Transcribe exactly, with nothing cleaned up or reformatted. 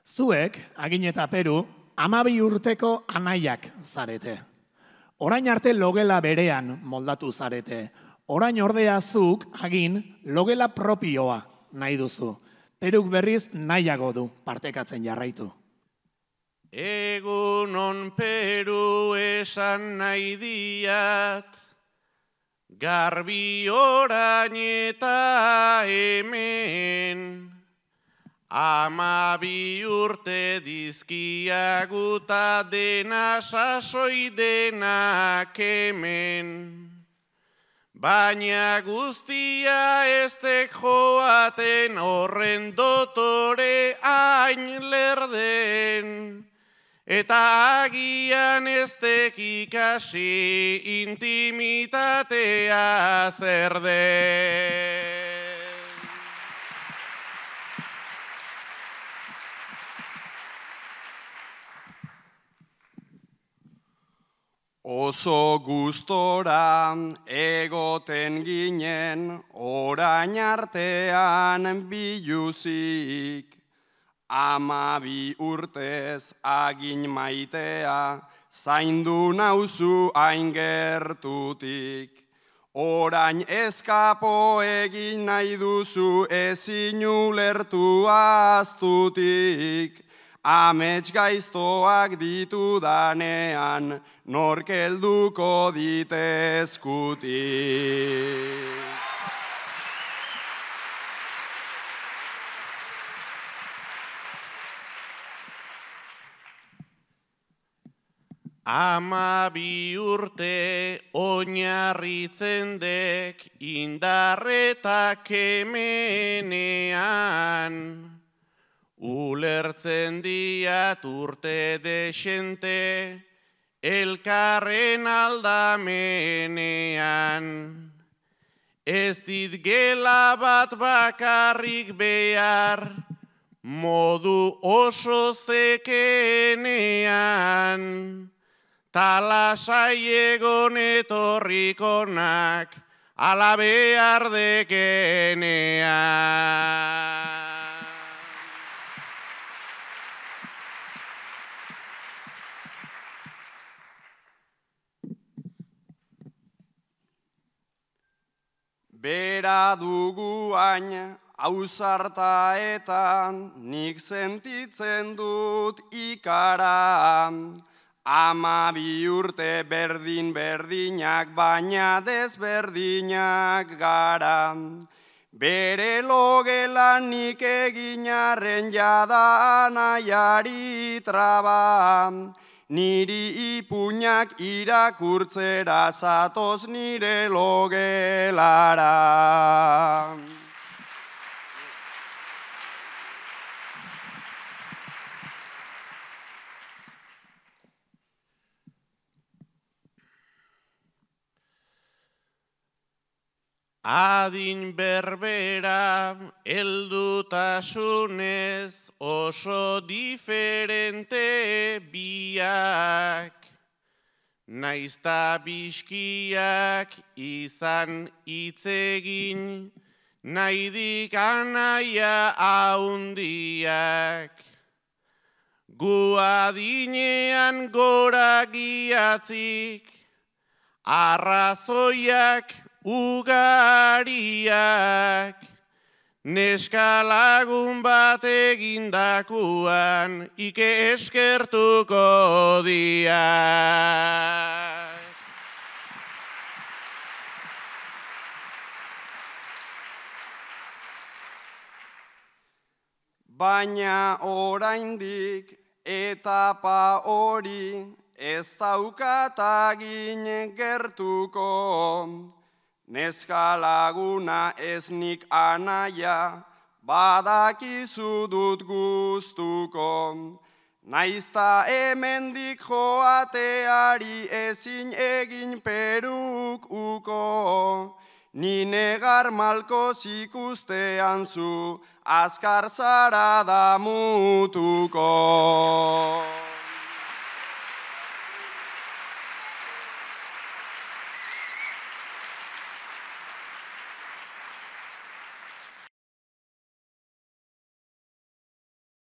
Zuek, Agin eta Peru, hamabi urteko anaiak zarete. Orain arte logela berean moldatu zarete. Orain ordea zuk, Agin, logela propioa nahi duzu. Peruk berriz nahiago du partekatzen jarraitu. Egunon Peru esan nahi diat, garbi orain eta hemen, hamabi urte dizkiaguta dena sasoi denak hemen. Baina guztia ez tek joaten horren dotore hain lerden, eta agian ez tek ikasi intimitatea zer den. Oso gustora egoten ginen orain artean biluzik, hamabi urtez Agin maitea zaindu nauzu hain gertutik. Orain eskapo egin nahi duzu ezin ulertu aztutik. Amets gaiztoak ditudanean, nork helduko ditezkutik. Hamabi urte oinarritzen dek indarretak hemenean, ulertzen diat urte desente, elkarren aldamenean. Ez dit gela bat bakarrik behar, modu oso zekeenean, talasai egon etorrikonak, ala behar dekenean. Bera dugu hain ausartaetan, nik sentitzen dut ikara. Hamabi urte berdin-berdinak, baina desberdinak gara. Bere logelan nik eginarren jada anaiari traba. Niri ipuñak irakurtzera zatoz nire logelara. Adin berbera heldutasunez oso diferente biak, naizta biskiak izan hitzegin, nahidik anaia haundiak. Gu adinean gora giatzik, arrazoiak ugariak, neska lagun bat egindakuan ike eskertuko diak. Baina oraindik etapa hori ez daukat Agin gertuko. Neska laguna ez nik anaia, badakizu dut gustuko. Naizta hemendik joateari ezin egin Peruk uko. Ni negar malkoz ikustean zu, azkar zara damutuko.